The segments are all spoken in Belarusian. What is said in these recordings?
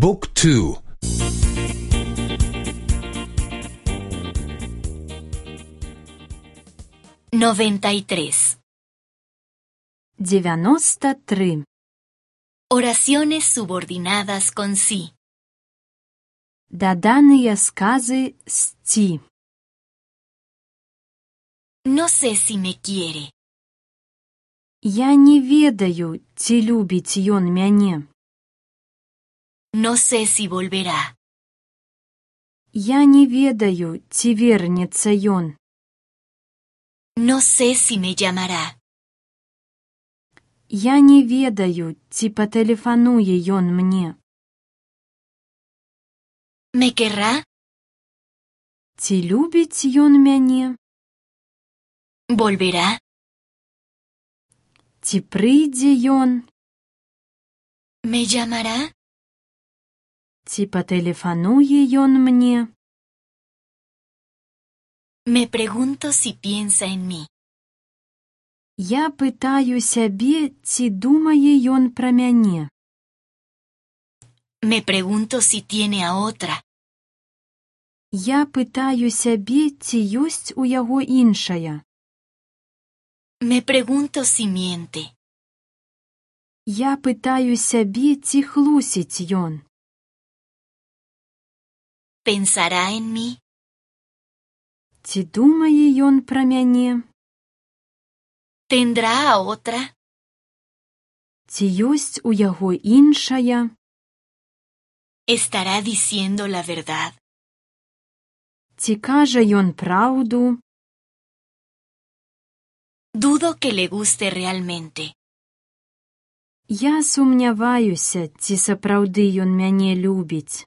บุ๊กทู93. 93. Oraciones subordinadas con sí. Доданыя сказы з «ці». No sé si me quiere. Я не ведаю, ці любіць ён мяне. No sé si volverá. Я не ведаю, ці вернецца ён. No sé si me llamará. Я не ведаю, ці патэлефануе ён мне. ¿Me querrá? Ці любіць ён мяне? ¿Volverá? Ці прыйдзе ён? ¿Me llamará? Ці патэлефануе ён мне? Me pregunto si piensa en mí. Я пытаю сябе, ці думае ён пра мяне. Me pregunto si tiene a otra. Я пытаю сябе, ці ёсць у яго іншая. Me pregunto si miente. Я пытаю сябе, ці хлусіць ён. ¿Pensará en mí? Ці думае ён пра мяне? ¿Tendrá a otra? Ці ёсць у яго іншая? ¿Estará diciendo la verdad? Ці кажа ён праўду? Dudo que le guste realmente. Я сумняваюся, ці сапраўды ён мяне любіць.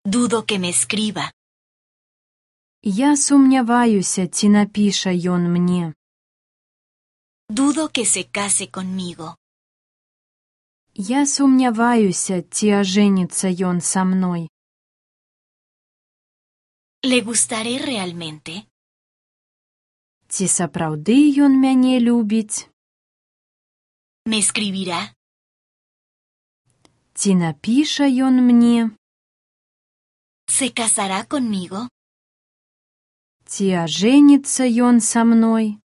Dudo que me escriba. Я сумняваюся, ці напіша ён мне. Dudo que se case conmigo. Я сумняваюся, ці ажэніцца ён са мной. ¿Le gustaré realmente? Ці сапраўды ён мяне любіць? ¿Me escribirá? Ці напіша ён мне? ¿Se casará conmigo? Ці ажэніцца ён са мной?